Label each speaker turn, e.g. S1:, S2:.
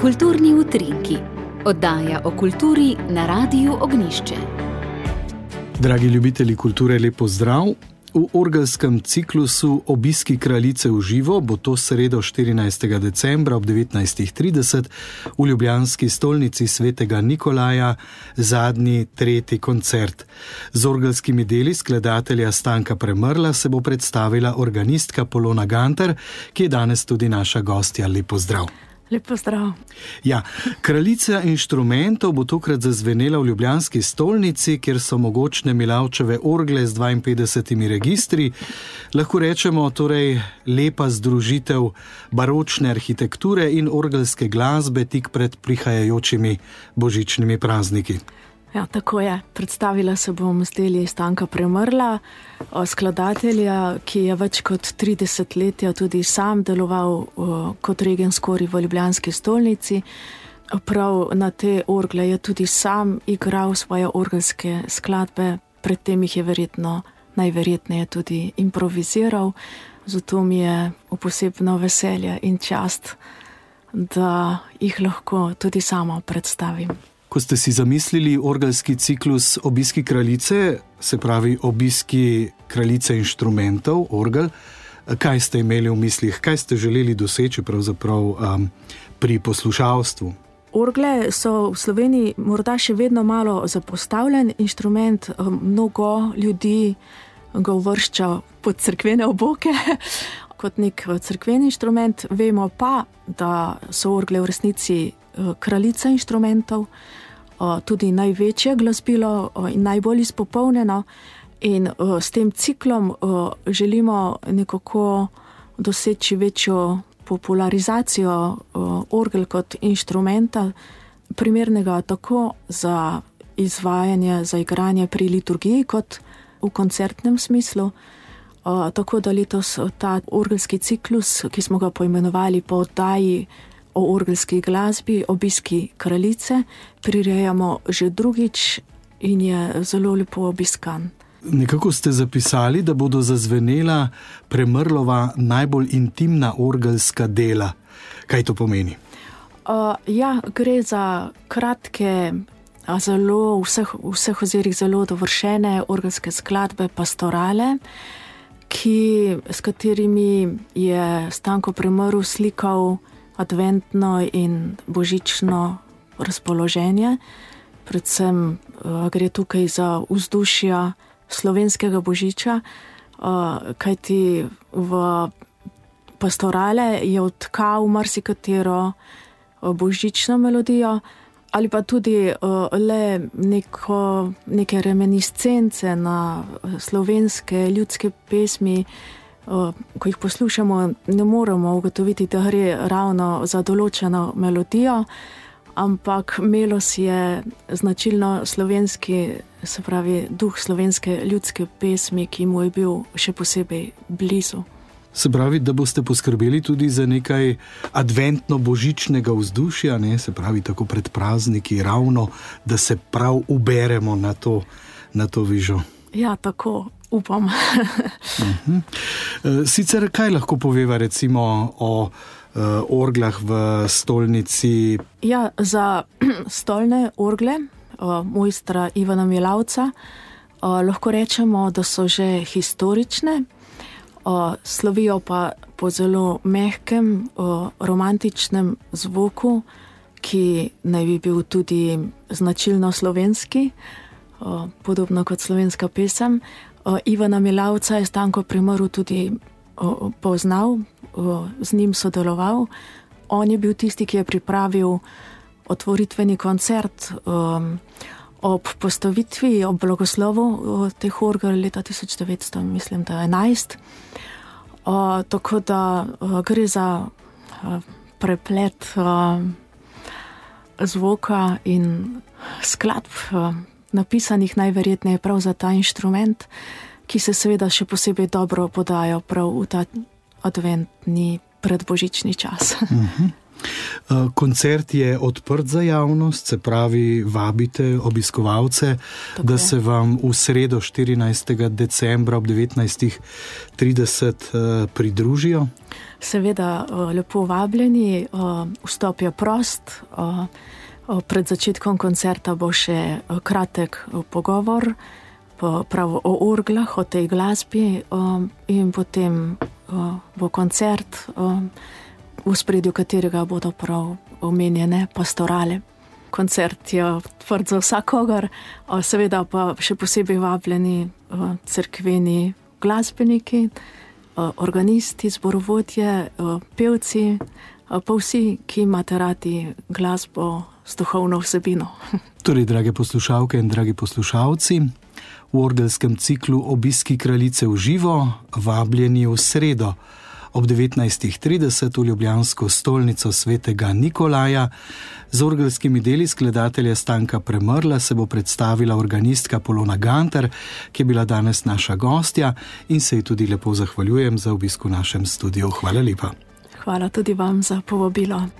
S1: Kulturni utrinki. Oddaja o kulturi na Radiu Ognjišče.
S2: Dragi ljubitelji kulture, lep pozdrav. V orgelskem ciklusu Obiski kraljice v živo bo to sredo 14. decembra ob 19.30 v ljubljanski stolnici Svetega Nikolaja zadnji, tretji koncert. Z orgelskimi deli skladatelja Stanka Premrla se bo predstavila organistka Polona Gantar, ki je danes tudi naša gostja. Lep pozdrav.
S3: Lep pozdrav.
S2: Ja, kraljica inštrumentov bo tokrat zazvenela v ljubljanski stolnici, kjer so mogočne Milavčeve orgle z 52 registri. Lahko rečemo torej lepa združitev baročne arhitekture in orgelske glasbe tik pred prihajajočimi božičnimi prazniki.
S3: Ja, tako je. Predstavila se bom z deli Stanka Premrla, skladatelja, ki je več kot 30 let tudi sam deloval kot regenskori v ljubljanski stolnici. Prav na te orgle je tudi sam igral svoje orgelske skladbe, predtem jih je najverjetneje tudi improviziral. Zato mi je posebno veselje in čast, da jih lahko tudi sama predstavim.
S2: Ko ste si zamislili orgelski ciklus Obiski kraljice, se pravi Obiski kraljice inštrumentov, orgel, kaj ste imeli v mislih, kaj ste želeli doseči pravzaprav pri poslušalstvu?
S3: Orgle so v Sloveniji morda še vedno malo zapostavljen inštrument, mnogo ljudi ga uvršča pod cerkvene oboke kot nek cerkveni inštrument. Vemo pa, da so orgle v resnici kraljica inštrumentov, tudi največje glasbilo in najbolj izpopolnjeno, in s tem ciklom želimo nekako doseči večjo popularizacijo orgel kot inštrumenta, primernega tako za izvajanje, za igranje pri liturgiji kot v koncertnem smislu. Tako da letos ta orgelski ciklus, ki smo ga poimenovali po oddaji o orgelski glasbi Obiski kraljice, prirejamo že drugič in je zelo lepo obiskan.
S2: Nekako ste zapisali, da bodo zazvenela Premrlova najbolj intimna orgelska dela. Kaj to pomeni? Gre za kratke, zelo v vseh ozirih zelo dovršene orgelske skladbe, pastorale, s katerimi je Stanko Premrl slikal adventno in božično razpoloženje. Predvsem gre tukaj za vzdušja slovenskega božiča, kajti v pastorale je odtkal marsikatero božično melodijo ali pa tudi le neke reminiscence na slovenske ljudske pesmi. Ko jih poslušamo, ne moremo ugotoviti, da gre ravno za določeno melodijo, ampak melos je značilno slovenski, se pravi duh slovenske ljudske pesmi, ki mu je bil še posebej blizu. Se pravi, da boste poskrbeli tudi za nekaj adventno-božičnega vzdušja, ne? Se pravi, tako pred prazniki, ravno, da se prav uberemo na to vižo.
S3: Ja, tako. Upam.
S2: Sicer kaj lahko poveva recimo o orglah v stolnici?
S3: Ja, za stolne orgle mojstra Ivana Milavca lahko rečemo, da so že historične, slovijo pa po zelo mehkem, romantičnem zvoku, ki naj bi bil tudi značilno slovenski, podobno kot slovenska pesem. Ivana Milavca je Stanko Premrl tudi poznal, z njim sodeloval. On je bil tisti, ki je pripravil otvoritveni koncert ob postavitvi, ob blagoslovu teh orgel leta 1911. Tako da gre za preplet zvoka in skladb, napisanih najverjetneje prav za ta inštrument, ki se seveda še posebej dobro podajo prav v ta adventni predbožični čas.
S4: Koncert je odprt za javnost, se pravi, vabite obiskovalce, da se vam v sredo 14. decembra ob 19:30 pridružijo.
S2: Seveda, lepo vabljeni, vstop je prost. Pred začetkom koncerta bo še kratek pogovor prav o orglah, o tej glasbi, in potem bo koncert, v spredju katerega bodo prav omenjene pastorale. Koncert je odprt za vsakogar, seveda pa še posebej vabljeni cerkveni glasbeniki, organisti, zborovodje, pevci, pa vsi, ki imate radi glasbo s duhovno vsebino.
S4: Torej, drage poslušalke in dragi poslušalci, v orgelskem ciklu Obiski kraljice v živo vabljeni v sredo ob 19:30 v ljubljansko stolnico svetega Nikolaja. Z orgelskimi deli skladatelja Stanka Premrla se bo predstavila organistka Polona Gantar, ki je bila danes naša gostja, in se ji tudi lepo zahvaljujem za obisk v našem studiu. Hvala lepa.
S2: Hvala tudi vam za povabilo.